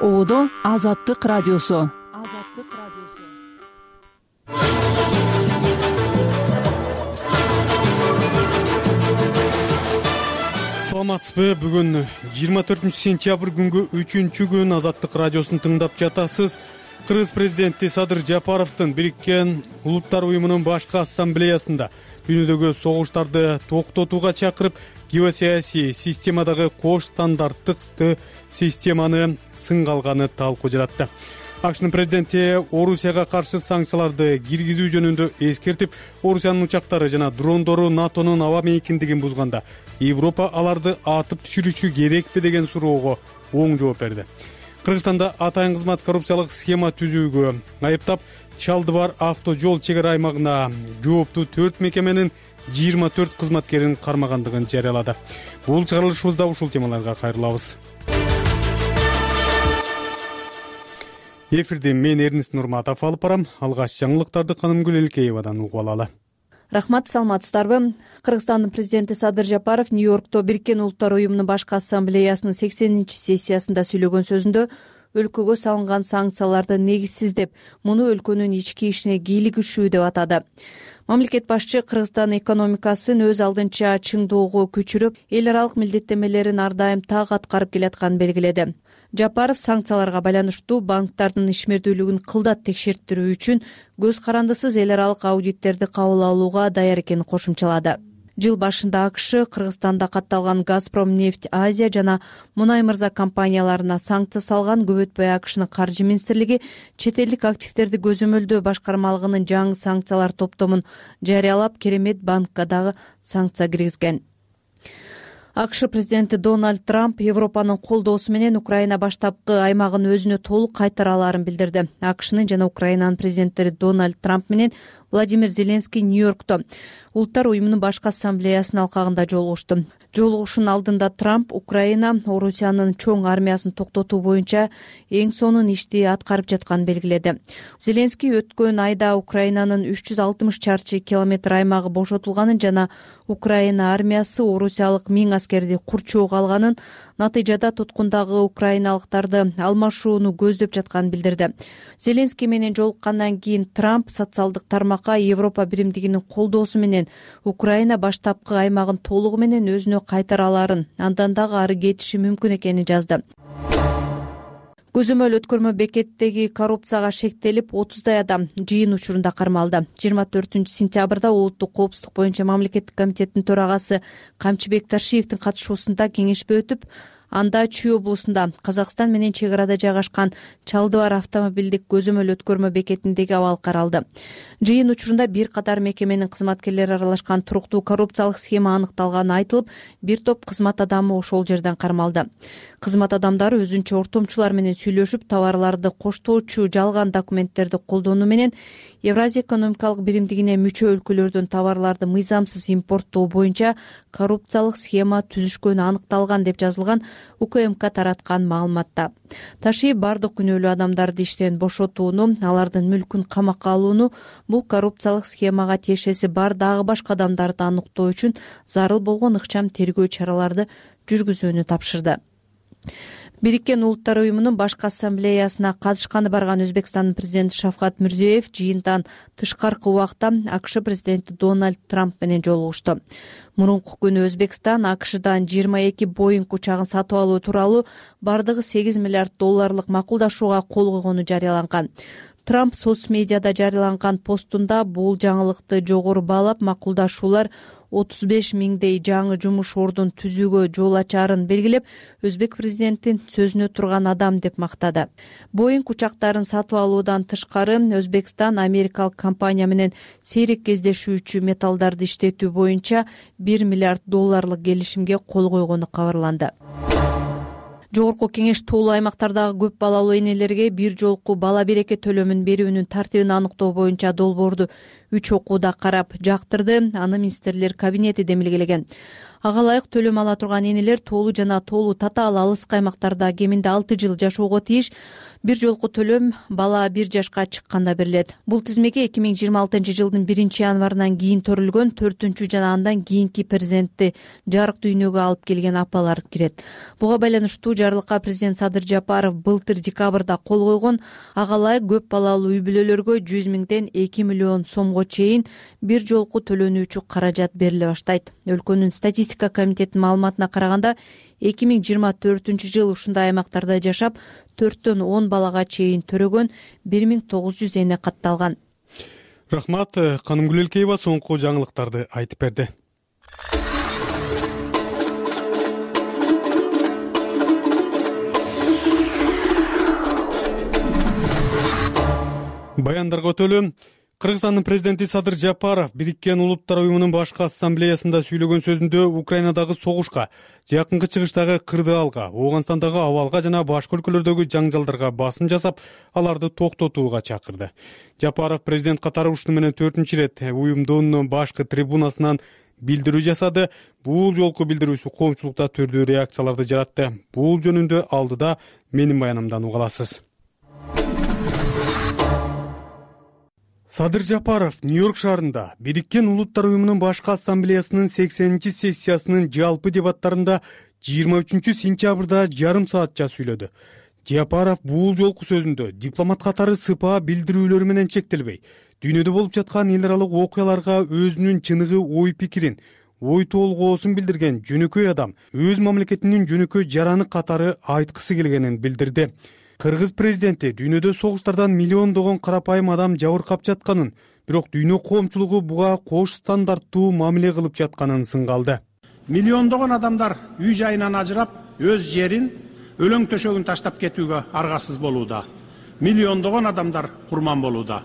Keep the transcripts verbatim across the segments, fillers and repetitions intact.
Оодо Азаттык радиосу. Азаттык радиосу. Саламатсызбы? Бүгүн жыйырма төртүнчү сентябрь күнгү үчүнчү күн Азаттык радиосун тыңдап жатасыз. Кыргыз президенти Садыр Жапаровдун Бириккен Улуттар уюмунун башкы ассамблеясында дүйнөдөгү согуштарды токтотууга чакырып, геосаясий системадагы кош стандарттык системаны сынга алганы талкуу жаратты. АКШнын президенти Орусияга каршы санкцияларды киргизүү жөнүндө эскертип, Орусиянын учактары жана дрондору НАТОнун аба мейкиндигин бузганда Европа аларды атып түшүрүшү керекпи деген суроого оң жооп берди. Кыргызстанда атайын кызмат коррупциялык схема түзүүгө айыптап, Чалдыбар авто жол чек ара аймагына жооптуу төрт мекеменин жыйырма төрт кызматкерин кармагандыгын жарыялады. Бул чыгарылышыбызда ушул темаларга кайрылабыз. Эфирде мен Эрнис Нурматов алып барам. Алгач жаңылыктарды Канымгүл Элкеевадан угуп алалы. Рахмат, саламатсыздарбы? Кыргызстандын президенти Садыр Жапаров Нью-Йоркто Бириккен Улуттар уюмунун башкы ассамблеясынын сексенинчи сессиясында сүйлөгөн сөзүндө өлкөгө салынган санкцияларды негизсиз деп, муну өлкөнүн ички ишине кийлигишүү деп атады. Мамлекет башчы Кыргызстан экономикасын өз алдынча чыңдоого күчүрөп, эл аралык милдеттенмелерин ар дайым так аткарып келатканын белгиледи. Жапаров санкцияларга байланыштуу банктардын ишмердүүлүгүн кылдат текшертирүү үчүн көз карандысыз эл аралык аудиттерди кабыл алууга даяр экенин кошумчалады. Жыл башында АКШ Кыргызстанда катталган Газпром нефть Азия жана Мунай Мырза компанияларына санкция салган. Көп өтпөй АКШнын каржы министрлиги чет элдик активдерди көзөмөлдөө башкармалыгынын жаңы санкциялар топтомун жарыялап, Керемет банкка дагы санкция киргизген. АКШ президенти Дональд Трамп Европанын колдоосу менен Украина баштапкы аймагын өзүнө толук кайтара алаарын билдирди. АКШнын жана Украинанын президенттери Дональд Трамп менен Владимир Зеленский Нью-Йоркто Улуттар уюмунун башкы ассамблеясынын алкагында жолугушту. Жолугушуунун алдында Трамп Украина Орусиянын чоң армиясын токтотуу боюнча эң сонун ишти аткарып жатканын белгиледи. Зеленский өткөн айда Украинанын үч жүз алтымыш чарчы километр аймагы бошотулганын жана Украина армиясы орусиялык миң аскерди курчоого алганын, натыйжада туткундагы украиналыктарды алмашууну көздөп жатканын билдирди. Зеленский менен жолуккандан кийин Трамп социалдык тармакка Европа биримдигинин колдоосу менен Украина баштапкы аймагын толугу менен өзүнө кайтара алаарын, андан дагы ары кетиши мүмкүн экенин жазды. Көзөмөл өткөрмө бекеттеги коррупцияга шектелип, отуздай адам жыйын учурунда кармалды. жыйырма төртүнчү сентябрда улуттук коопсуздук боюнча мамлекеттик комитеттин төрагасы Камчыбек Ташиевдин катышуусунда кеңешпе өтүп, анда Чүй облусунда Казакстан менен чек арада жайгашкан Чалдыбар автомобилдик көзөмөл өткөрмө бекетиндеги абал каралды. Жыйын учурунда бир катар мекеменин кызматкерлери аралашкан туруктуу коррупциялык схема аныкталганы айтылып, бир топ кызмат адамы ошол жерден кармалды. Кызмат адамдары өзүнчө ортомчулар менен сүйлөшүп, товарларды коштоочу жалган документтерди колдонуу менен Евразия экономикалык биримдигине мүчө өлкөлөрдөн товарларды мыйзамсыз импорттоо боюнча коррупциялык схема түзүшкөнү аныкталган деп жазылган УКМК тараткан маалыматта. Ташиев бардык күнөөлүү адамдарды иштен бошотууну, алардын мүлкүн камакка алууну, бул коррупциялык схемага тиешеси бар дагы башка адамдарды аныктоо үчүн зарыл болгон ыкчам тергөө чараларды жүргүзүүнү тапшырды. Бириккен Улуттар уюмунун башкы ассамблеясына катышканы барган Өзбекстандын президенти Шавкат Мирзиёев жыйынтан тышкаркы убакта АКШ президенти Дональд Трамп менен жолугушту. Мурунку күнү Өзбекстан АКШдан жыйырма эки Боинг учагын сатып алуу тууралуу бардыгы сегиз миллиард долларлык макулдашууга кол койгону жарыяланган. Трамп соц медиада жарыяланган постунда бул жаңылыкты жогору баалап, макулдашуулар отуз беш миңдей жаңы жумуш ордун түзүүгө жол ачаарын белгилеп, Өзбек президентин сөзүнө турган адам деп мактады. Боинг учактарын сатып алуудан тышкары Өзбекстан америкалык компания менен сейрек кездешүүчү металлдарды иштетүү боюнча бир миллиард долларлык келишимге кол койгону кабарланды. Жогорку кеңеш тоолуу аймактардагы көп балалуу энелерге бир жолку бала береке төлөмүн берүүнүн тартибин аныктоо боюнча долбоорду үч окууда карап жактырды. Аны министрлер кабинети демилгелеген. Ага ылайык төлөм ала турган энелер тоолуу жана тоолуу татаал алыскы аймактарда кеминде алты жыл жашоого тийиш. Бир жолку төлөм бала бир жашка чыкканда берилет. Бул тизмеге эки миң жыйырма алтынчы жылдын биринчи январынан кийин төрүлгөн төртүнчү жана андан кийинки перзентти жарык дүйнөгө алып келген апалар кирет. Буга байланыштуу жарлыкка президент Садыр Жапаров былтыр декабрда кол койгон. Ага ылайык көп балалуу үй бүлөлөргө жүз миңден эки миллион сомго чейин бир жолку төлөнүүчү каражат бериле баштайт. Өлкөнүн статистика комитетинин маалыматына караганда эки миң жыйырма төртүнчү жыл ушундай аймактарда жашап төрттөн он балага чейин төрөгөн бир миң тогуз жүз эне катталган. Рахмат. Канымгүл Элкеева соңку жаңылыктарды айтып берди. Баяндарга өтөлү. Кыргызстандын президенти Садыр Жапаров Бириккен Улуттар уюмунун башкы ассамблеясында сүйлөгөн сөзүндө Украинадагы согушка, жакынкы чыгыштагы кырдаалга, Ооганстандагы абалга жана башка өлкөлөрдөгү жаңжалдарга басым жасап, аларды токтотууга чакырды. Жапаров президент катары ушуну менен төртүнчү ирет уюмдун башкы трибунасынан билдирүү жасады. Бул жолку билдирүүсү коомчулукта түрдүү реакцияларды жаратты. Бул жөнүндө алдыда менин баянымдан уга аласыз. Садыр Жапаров Нью-Йорк шаарында Бириккен Улуттар уюмунун башкы ассамблеясынын сексенинчи сессиясынын жалпы дебаттарында жыйырма үчүнчү сентябрда жарым саатча сүйлөдү. Жапаров бул жолку сөзүндө дипломат катары сыпаа билдирүүлөр менен чектелбей, дүйнөдө болуп жаткан эл аралык окуяларга өзүнүн чыныгы ой пикирин, ой толгоосун билдирген жөнөкөй адам өз мамлекетинин жөнөкөй жараны катары айткысы келгенин билдирди. Кыргыз президенти дүйнөдө согуштардан миллиондогон карапайым адам жабыркап жатканын, бирок дүйнө коомчулугу буга кош стандарттуу мамиле кылып жатканын сынгалды. Миллиондогон адамдар үй жайынан ажырап, өз жерин, өлөң төшөгүн таштап кетүүгө аргасыз болууда. Миллиондогон адамдар курман болууда.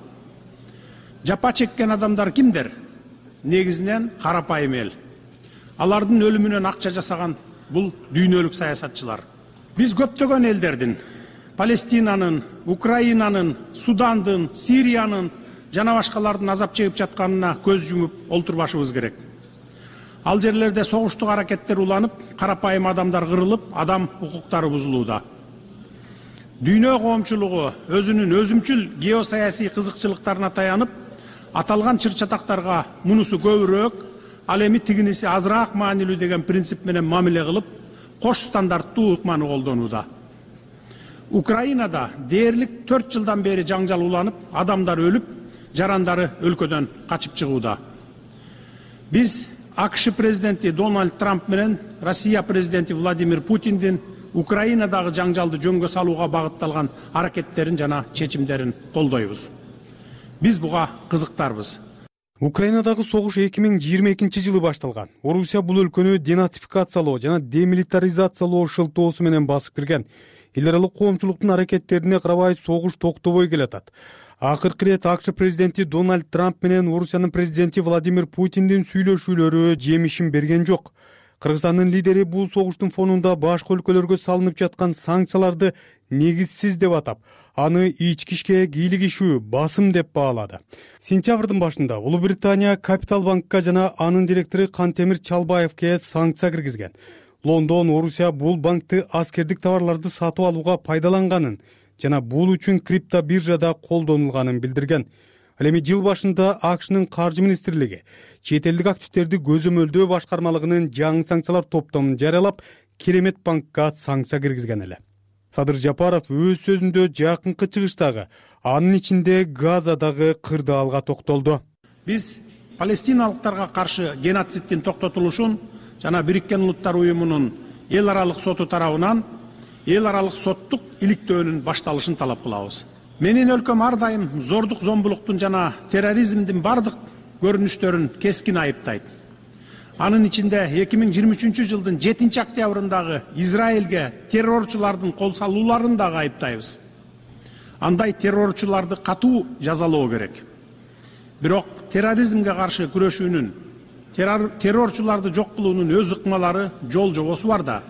Жапа чеккен адамдар кимдер? Негизинен карапайым эл. Алардын өлүмүнөн акча жасаган бул дүйнөлүк саясатчылар. Биз көптөгөн элдердин, Палестинанын, Украинанын, Судандын, Сириянын жана башкалардын азап чегип жатканына көз жумуп олтурбашыбыз керек. Ал жерлерде согуштук аракеттер уланып, карапайым адамдар кырылып, адам укуктары бузулууда. Дүйнө коомчулугу өзүнүн өзүмчүл геосаясий кызыкчылыктарына таянып, аталган чыр-чатактарга мунусу көбүрөөк, ал эми тигиниси азыраак маанилүү деген принцип менен мамиле кылып, кош стандарттуу ыкманы колдонууда. Украинада дээрлик төрт жылдан бери жаңжал уланып, адамдар өлүп, жарандары өлкөдөн качып чыгууда. Биз АКШ президенти Дональд Трамп менен Россия президенти Владимир Путиндин Украинадагы жаңжалды жөнгө салууга багытталган аракеттерин жана чечимдерин колдойбуз. Биз буга кызыктарбыз. Украинадагы согуш эки миң жыйырма экинчи жылы башталган. Орусия бул өлкөнү денатификациялоо жана демилитаризациялоо шылтоосу менен басып кирген. Эл аралык коомчулуктун аракеттерине карабай согуш токтобой келатат. Акыркы ирет АКШ президенти Дональд Трамп менен Орусиянын президенти Владимир Путиндин сүйлөшүүлөрү жемишин берген жок. Кыргызстандын лидери бул согуштун фонунда башка өлкөлөргө салынып жаткан санкцияларды негизсиз деп атап, аны ички ишке кийлигишүү, басым деп баалады. Сентябрдын башында Улуу Британия Капитал банкка жана анын директору Кантемир Чалбаевке санкция киргизген. Лондон Орусия бул банкты аскердик товарларды сатып алууга пайдаланганын жана бул үчүн криптобиржада колдонулганын билдирген. Ал эми жыл башында АКШнын каржы министрлиги чет элдик активдерди көзөмөлдөө башкармалыгынын жаңы санкциялар топтомун жарыялап, Керемет банкка санкция киргизген эле. Садыр Жапаров өз сөзүндө жакынкы чыгыштагы, анын ичинде Газадагы кырдаалга токтолду. Биз палестиналыктарга каршы геноциддин токтотулушун жана Бириккен Улуттар уюмунун эл аралык соту тарабынан эл аралык соттук иликтөөнүн башталышын талап кылабыз. Менин өлкөм ар дайым зордук зомбулуктун жана терроризмдин бардык көрүнүштөрүн кескин айыптайт. Анын ичинде эки миң жыйырма үчүнчү жылдын жетинчи октябрындагы Израилге террорчулардын кол салууларын дагы айыптайбыз. Андай террорчуларды катуу жазалоо керек. Бирок терроризмге каршы күрөшүүнүн, террорчуларды жок кылуунун өз ыкмалары, жол жобосу бар да.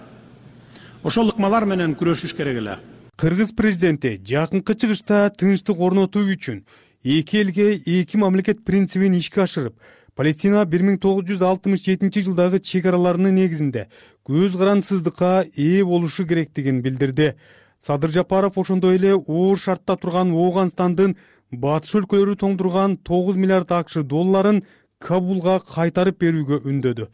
Ошол ыкмалар менен күрөшүш керек эле. Кыргыз президенти жакынкы чыгышта тынчтык орнотуу үчүн эки элге эки мамлекет принцибин ишке ашырып, Палестина бир миң тогуз жүз алтымыш жетинчи жылдагы чек араларынын негизинде көз карандысыздыкка ээ болушу керектигин билдирди. Садыр Жапаров ошондой эле оор шартта турган Ооганстандын батыш өлкөлөрү тоңдурган тогуз миллиард акш долларын Кабулга кайтарып берүүгө үндөдү.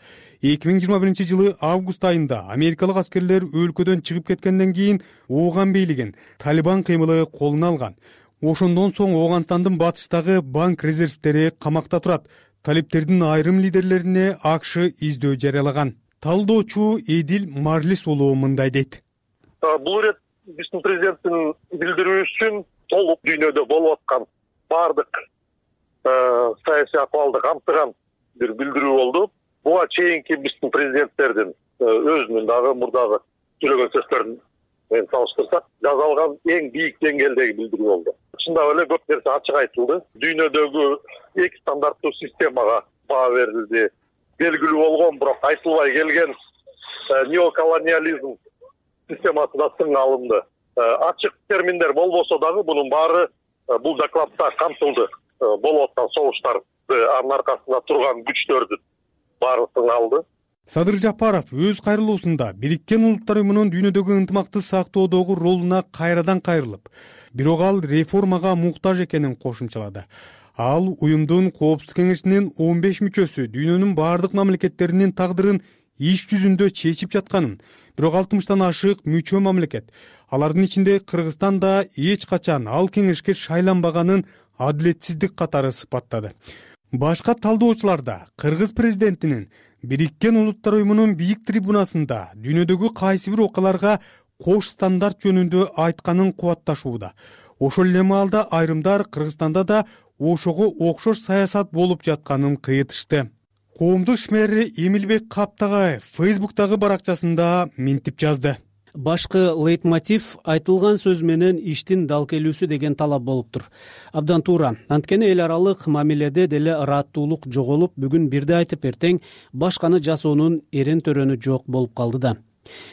эки миң жыйырма биринчи жылы август айында америкалык аскерлер өлкөдөн чыгып кеткенден кийин Ооган бийлигин Талибан кыймылы колуна алган. Ошондон соң Ооганстандын батыштагы банк резервтери камакта турат. Талиптердин айрым лидерлерине АКШ издөө жарыялаган. Талдоочу Эдил Марлис уулу мындай дейт. Бул ирет биздин президенттин билдирүүсүн толук дүйнөдө болуп аткан баардык саясий акыбалды камтыган бир билдирүү болду. Буга чейинки биздин президенттердин өзүнүн дагы мурдагы сүйлөгөн сөздөрүн менен салыштырсак, жазалган эң бийик деңгээлдеги билдирүү болду. Чындап эле көп нерсе ачык айтылды. Дүйнөдөгү эки стандарттуу системага баа берилди. Белгилүү болгон, бирок айтылбай келген неоколониализм системасы да сынга алынды. Ачык терминдер болбосо дагы бунун баары бул докладта камтылды. Болуп аткан согуштарды, анын аркасында турган күчтөрдүн баары сынга алды. Садыр Жапаров өз кайрылуусунда Бириккен Улуттар уюмунун дүйнөдөгү ынтымакты сактоодогу ролуна кайрадан кайрылып, бирок ал реформага муктаж экенин кошумчалады. Ал уюмдун Коопсуздук кеңешинин он беш мүчөсү дүйнөнүн бардык мамлекеттеринин тагдырын иш жүзүндө чечип жатканын, бирок алтымыштан ашык мүчө мамлекет, алардын ичинде Кыргызстан да эч качан ал кеңешке шайланбаганын адилетсиздик катары сыпаттады. Башка талдоочулар да Кыргыз президентинин Бириккен Улуттар уюмунун бийик трибунасында дүйнөдөгү кайсы бир окуяларга кош стандарт жөнүндө айтканын кубатташууда. Ошол эле маалда айрымдар Кыргызстанда да ошого окшош саясат болуп жатканын кыйытышты. Коомдук ишмери Эмилбек Каптагаев Фейсбуктагы баракчасында минтип жазды. Башкы лейтмотив айтылган сөз менен иштин дал келүүсү деген талап болуптур. Абдан туура. Анткени эл аралык мамиледе деле ыраттуулук жоголуп, бүгүн бирди айтып эртең башканы жасоонун эрен төрөнү жок болуп калды да.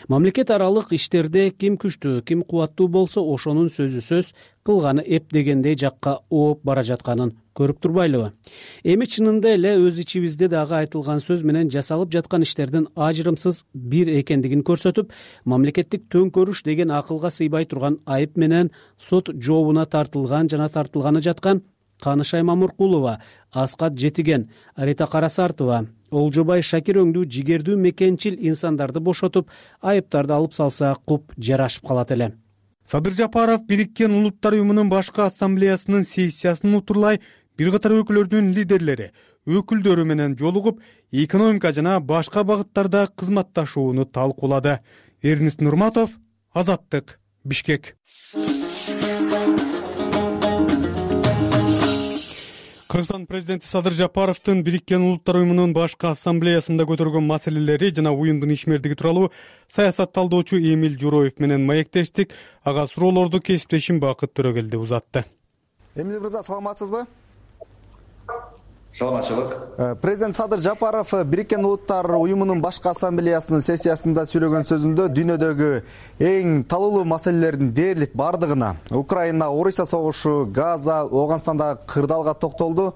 Мамлекет аралык иштерде ким күчтүү, ким кубаттуу болсо ошонун сөзү сөз, кылганы эп дегендей жакка ооп бара жатканын көрүп турбайлыбы? Эми чынында эле өз ичибизде дагы айтылган сөз менен жасалып жаткан иштердин ажырымсыз бир экендигин көрсөтүп, мамлекеттик төңкөрүш деген акылга сыйбай турган айып менен сот жообуна тартылган жана тартылганы жаткан Канышай Мамуркулова, Аскат Жетиген, Арита Карасартова, Олжобай Шакир өңдүү жигердүү мекенчил инсандарды бошотуп, айыптарды алып салса куп жарашып калат эле. Садыр Жапаров Бириккен Улуттар уюмунун башкы ассамблеясынын сессиясын утурлай бир катар өлкөлөрдүн лидерлери, өкүлдөрү менен жолугуп, экономика жана башка багыттарда кызматташууну талкуулады. Эрнест Нурматов, Азаттык, Бишкек. Кыргызстан президенти Садыр Жапаровдун Бириккен Улуттар уюмунун башкы ассамблеясында көтөргөн маселелери жана уюмдун ишмердиги тууралуу саясат талдоочу Эмил Журоев менен маектештик. Ага суроолорду кесиптешим Бакыт Төрөгелди узатты. Эмил мырза, саламатсызбы? Саламатчылык. Президент Садыр Жапаров Бириккен Улуттар уюмунун башкы ассамблеясынын сессиясында сүйлөгөн сөзүндө дүйнөдөгү эң талуулуу маселелердин дээрлик бардыгына, Украина, Орусия согушу, Газа, Ооганстандагы кырдаалга токтолду.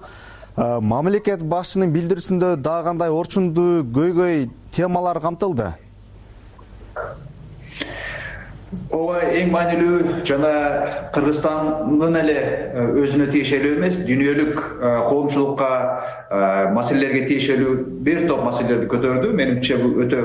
Мамлекет башчынын билдирүүсүндө дагы кандай орчундуу көйгөй темалар камтылды? Ооба эң маанилүү жана Кыргызстандын эле өзүнө тиешелүү эмес, дүйнөлүк коомчулукка маселелерге тиешелүү бир топ маселелерди көтөрдү. Менимче бул өтө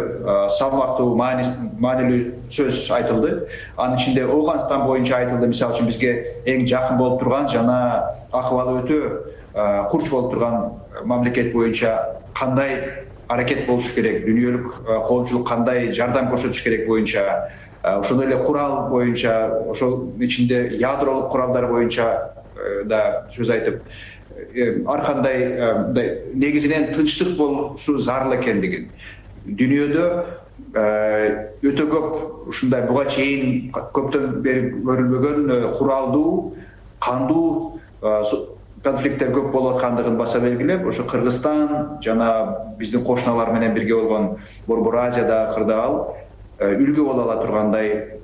салмактуу, маанилүү сөз айтылды. Анын ичинде Ооганстан боюнча айтылды. Мисалы үчүн бизге эң жакын болуп турган жана акыбалы өтө курч болуп турган мамлекет боюнча кандай аракет болуш керек, дүйнөлүк коомчулук кандай жардам көрсөтүш керек боюнча, ошондой эле курал боюнча, ошол ичинде ядролук куралдар боюнча да сөз айтып, ар кандай негизинен тынчтык болушу зарыл экендигин, дүйнөдө өтө көп ушундай буга чейин көптөн бери көрүлбөгөн куралдуу, кандуу конфликттер көп болуп аткандыгын баса белгилеп, ошо Кыргызстан жана биздин кошуналар менен бирге болгон Борбор Азияда кырдаал үлгү боло ала тургандай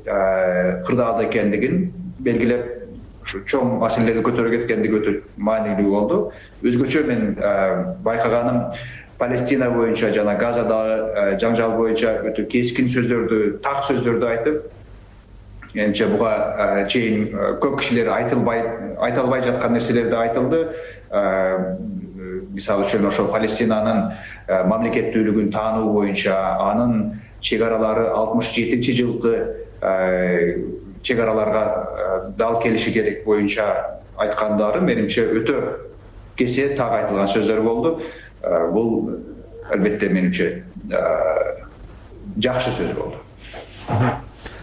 кырдаал экендигин белгилеп ушу чоң маселелерди көтөрүп кеткендиги өтө маанилүү болду. Өзгөчө мен байкаганым Палестина боюнча жана Газадагы жаңжал боюнча өтө кескин сөздөрдү, так сөздөрдү айтып, менимче буга чейин көп кишилер айтылбай айта албай жаткан нерселерди айтылды. Мисалы үчүн ошо Палестинанын мамлекеттүүлүгүн таануу боюнча анын чек аралары алтымыш жетинчи жылкы чек араларга дал келиши керек боюнча айткандары менимче өтө кесе так айтылган сөздөр болду. Бул албетте менимче жакшы сөз болду.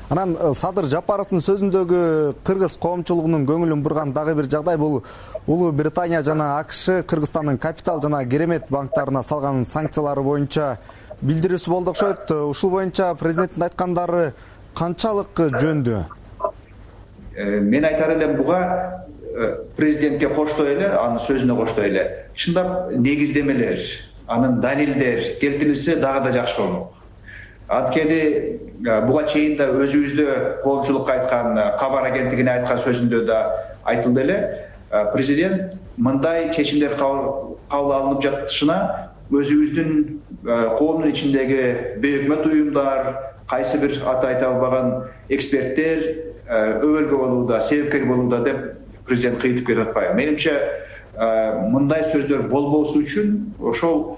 Анан Садыр Жапаровдун сөзүндөгү кыргыз коомчулугунун көңүлүн бурган дагы бир жагдай бул Улуу Британия жана АКШ Кыргызстандын капитал жана керемет банктарына салган санкциялары боюнча билдирүүсү болду окшойт. Ушул боюнча президенттин айткандары канчалык жөндүү? Мен айтар элем буга президентке коштой эле, анын сөзүнө коштой эле. Чындап негиздемелер, анын далилдер келтирилсе дагы да жакшы болмок. Анткени буга чейин да өзүбүздө коомчулукка айткан, кабар агенттигине айткан сөзүндө да айтылды эле. Президент мындай чечимдер кабыл алынып жатышына өзүбүздүн коомдун ичиндеги бейөкмөт уюмдар, кайсы бир аты айта албаган эксперттер өбөлгө болууда, себепкер болууда деп президент кыйтып кетип атпайбы? Менимче мындай сөздөр болбосу үчүн ошол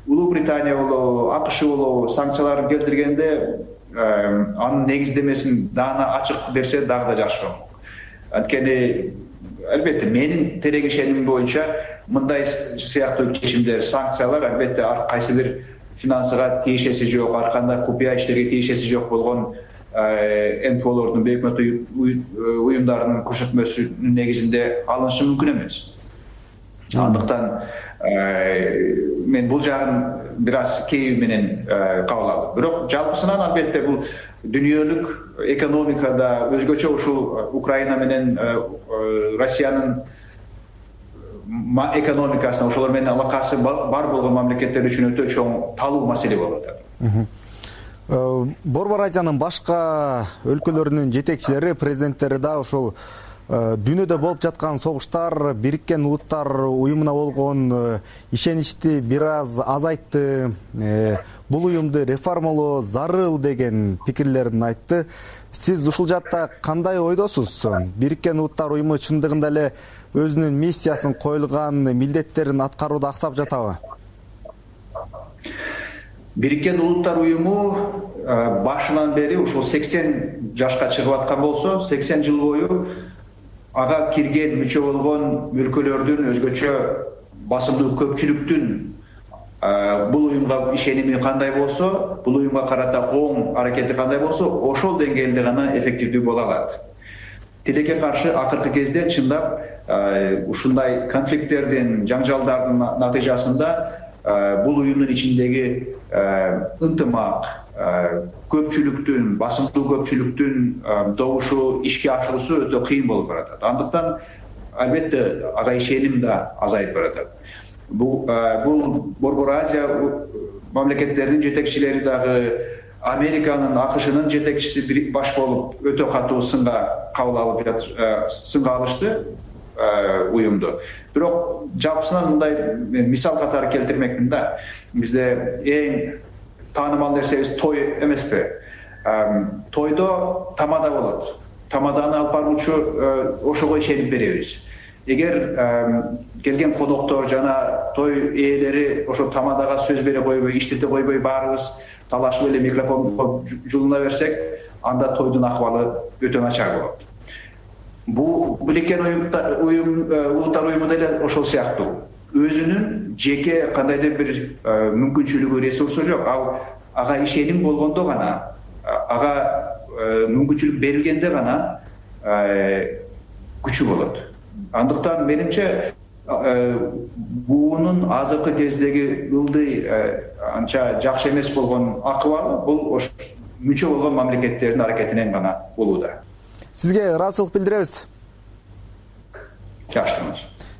Улуу Британия болобу, АКШ болобу санкцияларын келтиргенде анын негиздемесин даана ачык берсе дагы да жакшы болмок. Анткени албетте менин терең ишенимим боюнча мындай сыяктуу чечимдер, санкциялар албетте ар кайсы бир финансыга тиешеси жок, ар кандай купуя иштерге тиешеси жок болгон эн пэ олордун, бейөкмөт уюмдарынын көрсөтмөсүнүн негизинде алынышы мүмкүн эмес. Андыктан мен бул жагын бир аз кейүү менен кабыл алдым. Бирок жалпысынан албетте бул дүйнөлүк экономикада өзгөчө ушул Украина менен Россиянын экономикасына, ошолор менен алакасы бар болгон мамлекеттер үчүн өтө чоң талуу маселе болуп атат. Борбор Азиянын башка өлкөлөрүнүн жетекчилери, президенттери да ушул дүйнөдө болуп жаткан согуштар Бириккен Улуттар уюмуна болгон ишеничти бир аз азайтты, бул уюмду реформалоо зарыл деген пикирлерин айтты. Сиз ушул жакта кандай ойдосуз? Бириккен Улуттар уюму чындыгында эле өзүнүн миссиясын, коюлган милдеттерин аткарууда аксап жатабы? Бириккен Улуттар уюму башынан бери ушул сексен жашка чыгып аткан болсо, сексен жыл бою ага кирген мүчө болгон өлкөлөрдүн өзгөчө басымдуу көпчүлүктүн бул уюмга ишеними кандай болсо, бул уюмга карата оң аракети кандай болсо, ошол деңгээлде гана эффективдүү боло алат. Тилекке каршы акыркы кезде чындап ушундай конфликттердин, жаңжалдардын натыйжасында бул уюмдун ичиндеги ынтымак, көпчүлүктүн, басымдуу көпчүлүктүн добушу, ишке ашуусу өтө кыйын болуп баратат. Андыктан албетте ага ишеним да азайып баратат. Бул бул Борбор Азия мамлекеттеринин жетекчилери дагы Американын, АКШнын жетекчиси баш болуп өтө катуу сынга кабыл алып сынга алышты уюмду. Бирок жалпысынан мындай мисал катары келтирмекмин да. Бизде эң таанымал нерсебиз той эмеспи? Тойдо тамада болот. Тамаданы алып баруучу ошого ишенип беребиз. Эгер келген коноктор жана той ээлери ошо тамадага сөз бере койбой, иштете койбой баарыбыз талашып эле микрофонго жулуна берсек, анда тойдун акыбалы өтө начар болот. Бул Бириккен уюм, Улуттар уюму деле ошол сыяктуу. Өзүнүн жеке кандайдыр бир мүмкүнчүлүгү, ресурсу жок. Ал ага ишеним болгондо гана, ага мүмкүнчүлүк берилгенде гана күчү болот. Андыктан менимче буунун азыркы кездеги ылдый анча жакшы эмес болгон акыбалы бул мүчө болгон мамлекеттердин аракетинен гана болууда. Сизге ыраазычылык билдиребиз. Жакшы.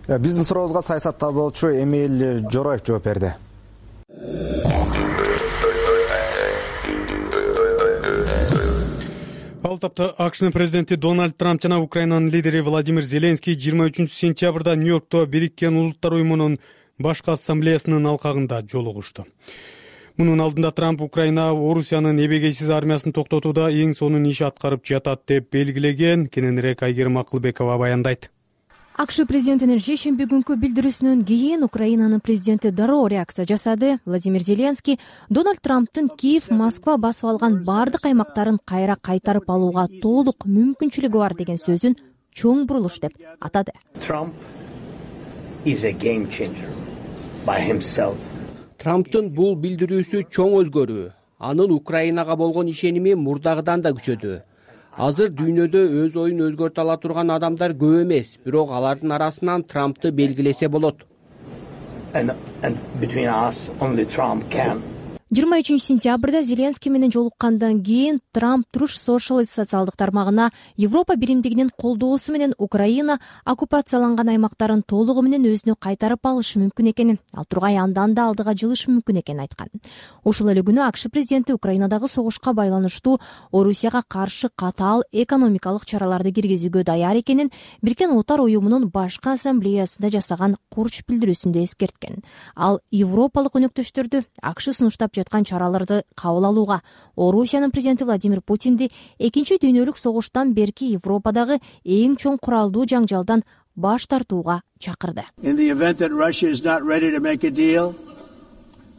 Биздин сурообузга саясат талдоочу Эмиль Жороев жооп берди. Ал баштапты акшнын президенти Дональд Трамп жана Украинанын лидери Владимир Зеленский жыйырма үчүнчү сентябрда Нью-Йоркто Бириккен Улуттар уюмунун башкы ассамблеясынын алкагында жолугушту. Мунун алдында Трамп Украина Орусиянын эбегейсиз армиясын токтотууда эң сонун иш аткарып жатат деп белгилеген. Кененирээк Айгерим Акылбекова баяндайт. акш президентинин шейшемби күнкү билдирүүсүнөн кийин Украинанын президенти дароо реакция жасады. Владимир Зеленский Дональд Трамптын Киев, Москва басып алган бардык аймактарын кайра кайтарып алууга толук мүмкүнчүлүгү бар деген сөзүн чоң бурулуш деп атады. Trump is a game changer by himself. Трамптын бул билдирүүсү чоң өзгөрүү. Анын Украинага болгон ишеними мурдагыдан да күчөдү. Азыр дүйнөдө өз оюн өзгөртө ала турган адамдар көп эмес, бирок алардын арасынан Трампты белгилесе болот. And, and between us, only Trump can. жыйырма үчүнчү сентябрда Зеленский менен жолуккандан кийин Трамп Truth Social социалдык тармагына Европа биримдигинин колдоосу менен Украина оккупацияланган аймактарын толугу менен өзүнө кайтарып алышы мүмкүн экенин, ал тургай андан да алдыга жылышы мүмкүн экенин айткан. Ошол эле күнү акш президенти Украинадагы согушка байланыштуу Орусияга каршы катаал экономикалык чараларды киргизүүгө даяр экенин Бириккен Улуттар уюмунун башкы ассамблеясында жасаган курч билдирүүсүндө эскерткен. Ал европалык өнөктөштөрдү акш сунуштап жаткан чараларды кабыл алууга, Орусиянын президенти Владимир Путинди экинчи дүйнөлүк согуштан берки Европадагы эң чоң куралдуу жаңжалдан баш тартууга чакырды. In the event that Russia is not ready to make a deal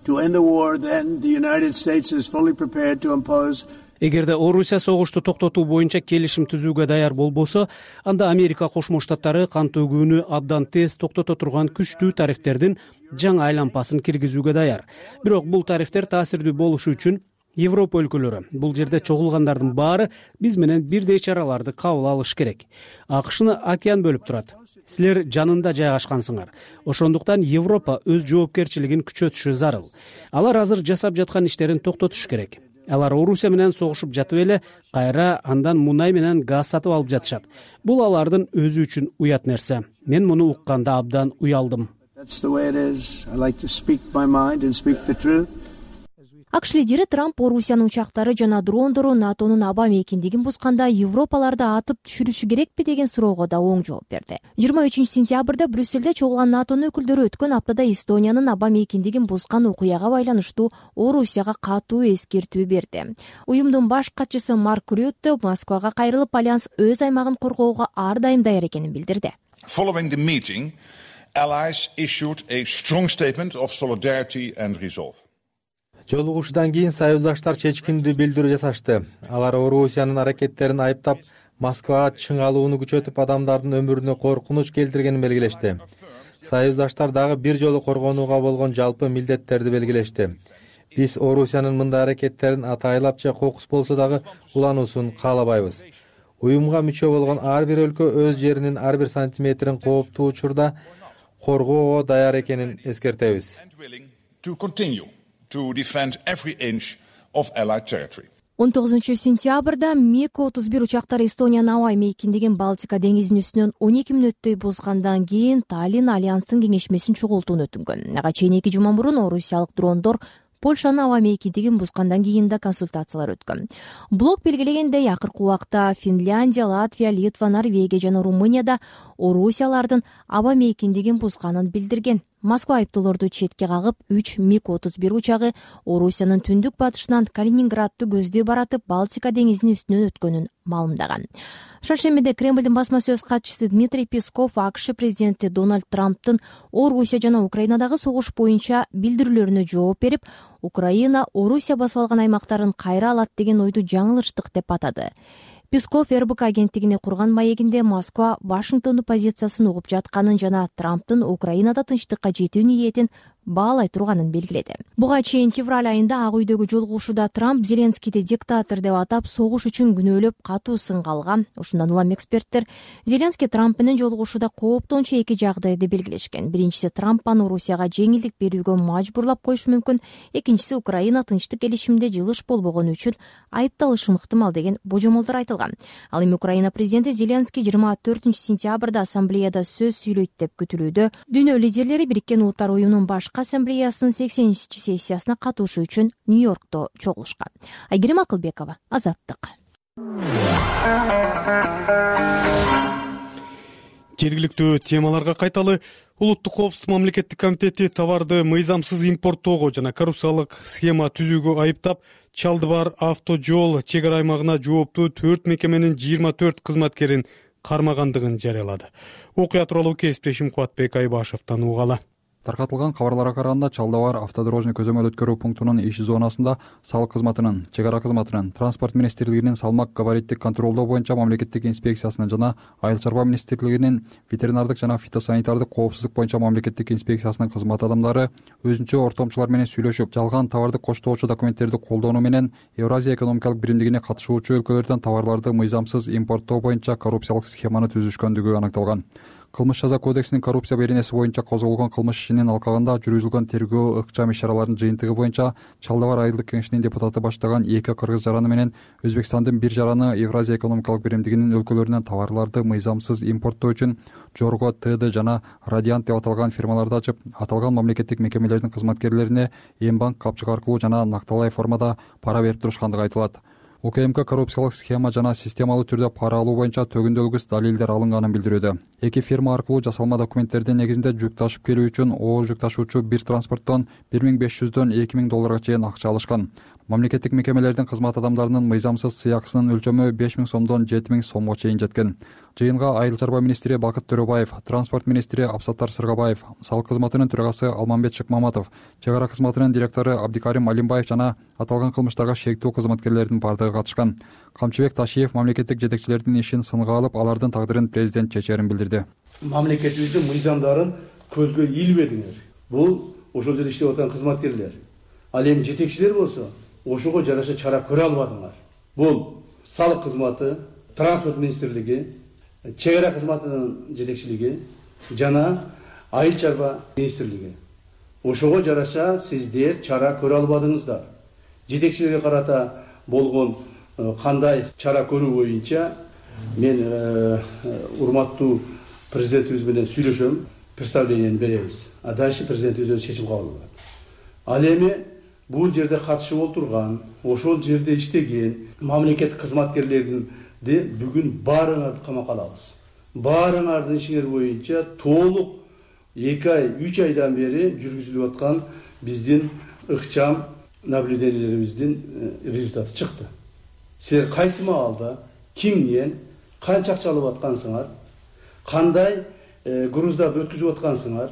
to end the war, then the United States is fully prepared to impose. Эгерде Орусия согушту токтотуу боюнча келишим түзүүгө даяр болбосо, анда Америка Кошмо Штаттары кан төгүүнү абдан тез токтото турган күчтүү тарифтердин жаңы айлампасын киргизүүгө даяр. Бирок бул тарифтер таасирдүү болушу үчүн Европа өлкөлөрү, бул жерде чогулгандардын баары биз менен бирдей чараларды кабыл алыш керек. Акшны океан бөлүп турат. Силер жанында жайгашкансыңар. Ошондуктан Европа өз жоопкерчилигин күчөтүшү зарыл. Алар азыр жасап жаткан иштерин токтотуш керек. Алар Орусия менен согушуп жатып эле кайра андан мунай менен газ сатып алып жатышат. Бул алардын өзү үчүн уят нерсе. Мен муну укканда абдан уялдым. акш лидери Трамп Орусиянын учактары жана дрондору НАТОнун аба мейкиндигин бузганда Европаларды атып түшүрүшү керекпи деген суроого да оң жооп берди. жыйырма үчүнчү сентябрда Брюссельде чогулган НАТОнун өкүлдөрү өткөн аптада Эстониянын аба мейкиндигин бузган окуяга байланыштуу Орусияга катуу эскертүү берди. Уюмдун баш катчысы Марк Рютте Москвага кайрылып, альянс өз аймагын коргоого ар дайым даяр экенин билдирди. Following the meeting, allies issued a strong statement of solidarity and resolve. Жолугушуудан кийин союздаштар чечкиндүү билдирүү жасашты. Алар Орусиянын аракеттерин айыптап, Москвага чыңалууну күчөтүп, адамдардын өмүрүнө коркунуч келтиргенин белгилешти. Союздаштар дагы бир жолу коргонууга болгон жалпы милдеттерди белгилешти. Биз Орусиянын мындай аракеттерин атайлап же кокус болсо дагы улануусун каалабайбыз. Уюмга мүчө болгон ар бир өлкө өз жеринин ар бир сантиметрин кооптуу учурда коргоого даяр экенин эскертебиз. To defend every inch of Allied territory. он тогузунчу сентябрда миг отуз бир учактары Эстониянын аба мейкиндигин Балтика деңизинин үстүнөн он эки мүнөттөй бузгандан кийин Таллин альянстын кеңешмесин чогултууну өтүнгөн. Ага чейин эки жума мурун орусиялык дрондор Польшанын аба мейкиндигин бузгандан кийин да консультациялар өткөн. Блок белгилегендей, акыркы убакта Финляндия, Латвия, Литва, Норвегия жана Румынияда Орусиялардын аба мейкиндигин бузганын билдирген. Москва айыптоолорду четке кагып, үч миг отуз бир учагы Орусиянын түндүк батышынан Калининградты көздөй баратып, Балтика деңизинин үстүнөн өткөнүн маалымдаган. Шаршембиде Кремлдин басма сөз катчысы Дмитрий Песков акш президенти Дональд Трамптын Орусия жана Украинадагы согуш боюнча билдирүүлөрүнө жооп берип, Украина Орусия басып алган аймактарын кайра алат деген ойду жаңылыштык деп атады. Песков эр бэ ка агенттигине курган маегинде Москва Вашингтондун позициясын угуп жатканын жана Трамптын Украинада тынчтыкка жетүү ниетин баалай турганын белгиледи. Буга чейин февраль айында Ак үйдөгү жолугушууда Трамп Зеленскийди диктатор деп атап, согуш үчүн күнөөлөп катуу сынга алган. Ошондон улам эксперттер Зеленский Трамп менен жолугушууда кооптончу эки жагдайды белгилешкен. Биринчиси, Трамп аны Орусияга жеңилдик берүүгө мажбурлап коюшу мүмкүн. Экинчиси, Украина тынчтык келишимде жылыш болбогону үчүн айыпталышы ыктымал деген божомолдор айтылган. Ал эми Украина президенти Зеленский жыйырма төртүнчү сентябрда ассамблеяда сөз сүйлөйт деп күтүлүүдө. Дүйнө лидерлери Бириккен Улуттар уюмунун башкы ассамблеясынын сексенинчи сессиясына катышуу үчүн Нью-Йоркто чогулушкан. Айгерим Акылбекова, Азаттык. жергиликтүү темаларга кайталы. Улуттук коопсуздук мамлекеттик комитети товарды мыйзамсыз импорттоого жана коррупциялык схема түзүүгө айыптап, Чалды бар авто жол чек ара аймагына жооптуу төрт мекеменин жыйырма төрт кызматкерин кармагандыгын жарыялады. Окуя тууралуу кесиптешим Кубатбек Айбашевден угалы. Таркатылган кабарларга караганда, Чалды бар автодорожный көзөмөл өткөрүү пунктунун иш зонасында салык кызматынын, чек ара кызматынын, транспорт министрлигинин салмак габариттик контролдоо боюнча мамлекеттик инспекциясынын жана Айыл чарба министрлигинин ветеринардык жана фитосанитардык коопсуздук боюнча мамлекеттик инспекциясынын кызмат адамдары өзүнчө ортомчулар менен сүйлөшүп, жалган товарды коштоочу документтерди колдонуу менен Евразия экономикалык биримдигине катышуучу өлкөлөрдөн товарларды мыйзамсыз импорттоо боюнча коррупциялык схеманы түзүшкөндүгү анықталган. Кылмыш жаза кодексинин коррупция беренеси боюнча козголгон кылмыш ишинин алкагында жүргүзүлгөн тергөө ыкчам иш-чаралардын жыйынтыгы боюнча Чалды бар айылдык кеңешинин депутаты баштаган эки кыргыз жараны менен Өзбекстандын бир жараны Евразия экономикалык биримдигинин өлкөлөрүнөн товарларды мыйзамсыз импорттоо үчүн Жорго ТД жана Радиант деп аталган фирмаларды ачып, аталган мамлекеттик мекемелердин кызматкерлерине эм банк капчык аркылуу жана накталай формада пара берип турушкандыгы айтылат. УКМК коррупциялык схема жана системалуу түрдө пара алуу боюнча төгүндөлгүс далилдер алынганын билдирүүдө. Эки фирма аркылуу жасалма документтердин негизинде жүк ташып келүү үчүн оор жүк ташуучу бир транспорттон бир миң беш жүздөн эки миң долларга чейин акча алышкан. Мамлекеттик мекемелердин кызмат адамдарынын мыйзамсыз сыйакысынын өлчөмү беш миң сомдон жети миң сомго чейин жеткен. Жыйынга Айыл чарба министри Бакыт Төрөбаев, транспорт министри Абсаттар Сыргабаев, салык кызматынын төрагасы Алмамбет Шыкмаматов, чек ара кызматынын директору Абдикарим Алимбаев жана аталган кылмыштарга шектүү кызматкерлердин бардыгы катышкан. Камчыбек Ташиев мамлекеттик жетекчилердин ишин сынга алып, алардын тагдырын президент чечерин билдирди. Мамлекетибиздин мыйзамдарын көзгө илбедиңер. Бул ошол жерде иштеп аткан кызматкерлер. Ал эми жетекчилер болсо, ошого жараша чара көрө албадыңар. Бул салык кызматы, транспорт министрлиги, чек ара кызматынын жетекчилиги жана Айыл чарба министрлиги. Ошого жараша сиздер чара көрө албадыңыздар. Жетекчилерге карата болгон кандай чара көрүү боюнча мен урматтуу президентибиз менен сүйлөшөм, представлениени беребиз. А дальше президент өзү чечим кабыл кылат. Ал эми бул жерде катышып отурган, ошол жерде иштеген мамлекеттик кызматкерлердин бүгүн баарыңарды камакка алабыз. Баарыңардын ишиңер боюнча толук эки ай, үч айдан бери жүргүзүлүп аткан биздин ыкчам наблюдениелерибиздин результаты чыкты. Силер кайсы маалда, кимден, канча акча алып аткансыңар, кандай груздарды өткүзүп аткансыңар,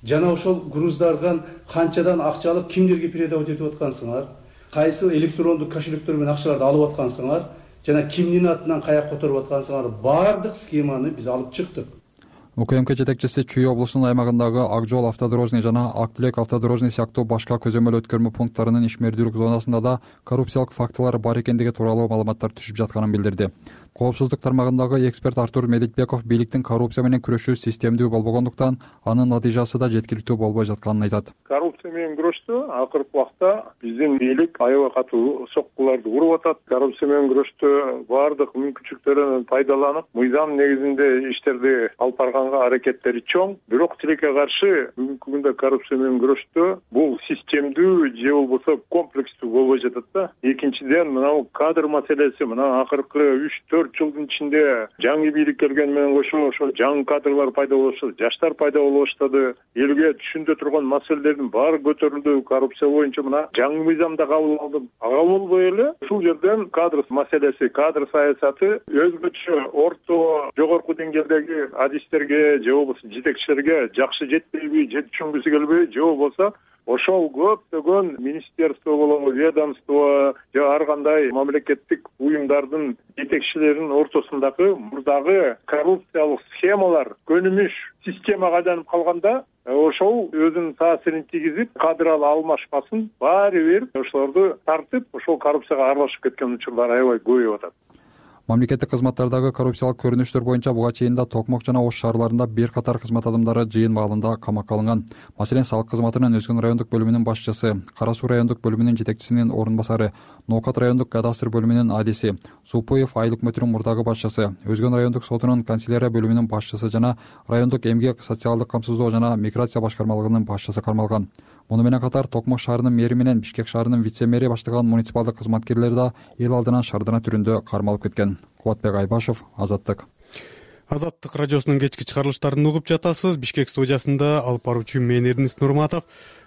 жана ошол груздардан канчадан акча алып кимдерге передавать этип аткансыңар, кайсы электрондук кошелектер менен акчаларды алып аткансыңар, жана кимдин атынан каяка которуп аткансыңар, баардык схеманы биз алып чыктык. УКМК жетекчиси Чүй облусунун аймагындагы Ак жол автодорожный жана Ак тилек автодорожный сыяктуу башка көзөмөл өткөрмө пункттарынын ишмердүүлүк зонасында да коррупциялык фактылар бар экендиги тууралуу маалыматтар түшүп жатканын билдирди. Коопсуздук тармагындагы эксперт Артур Медитбеков бийликтин коррупция менен күрөшүү системдүү болбогондуктан анын натыйжасы да жеткиликтүү болбой жатканын айтат. Коррупция менен күрөштө акыркы убакта биздин бийлик аябай катуу соккуларды уруп атат. Коррупция менен күрөштө баардык мүмкүнчүлүктөрдөн пайдаланып, мыйзам негизинде иштерди алып барганга аракеттери чоң. Бирок тилекке каршы бүгүнкү күндө коррупция менен күрөштө бул системдүү же болбосо комплекстүү болбой жатат да. Экинчиден, мына кадр маселеси, мына акыркы үч төрт жылдын ичинде жаңы бийлик келген менен кошо ошо жаңы кадрлар пайда болуп баштады, жаштар пайда болуп баштады. Элге түшүндө турган маселелердин баары көтөрүлдү. Коррупция боюнча мына жаңы мыйзамда кабыл алды. Ага болбой эле ушул жерден кадр маселеси, кадр саясаты өзгөчө орто жогорку деңгээлдеги адистерге же болбосо жетекчилерге жакшы жетпейби, же түшүнгүсү келбейби, же болбосо ошол көптөгөн министерство болобу, ведомство же ар кандай мамлекеттик уюмдардын жетекчилеринин ортосундагы мурдагы коррупциялык схемалар көнүмүш системага айланып калганда, ошол өзүнүн таасирин тийгизип, кадр алмашпасын баары бир ошолорду тартып, ошол коррупцияга аралашып кеткен учурлар аябай көбөйүп атат. Мамлекеттик кызматтардагы коррупциялык көрүнүштөр боюнча буга чейин да Токмок жана Ош шаарларында бир катар кызмат адамдары жыйын маалында камакка алынган. Маселен, салык кызматынын Өзгөн райондук бөлүмүнүн башчысы, Кара Суу райондук бөлүмүнүн жетекчисинин орун басары, Ноокат райондук кадастр бөлүмүнүн адиси, Сулпуев айыл өкмөтүнүн мурдагы башчысы, Өзгөн райондук сотунун канцелярия бөлүмүнүн башчысы жана райондук эмгек, социалдык камсыздоо жана миграция башкармалыгынын башчысы кармалган. муну менен катар Токмок шаарынын мэри менен Бишкек шаарынын вице мэри баштаган муниципалдык кызматкерлер да эл алдынан шардана түрүндө кармалып кеткен. Кубатбек Айбашев, Азаттык. Азаттык радиосунун кечки чыгарылыштарын угуп жатасыз. Бишкек студиясында алып баруучу мен Эрнис Нурматов,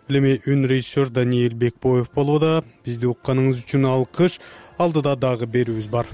эми үн режиссер Даниил Бекбоев болууда. Бизди укканыңыз үчүн алкыш. Алдыда дагы берүүбүз бар.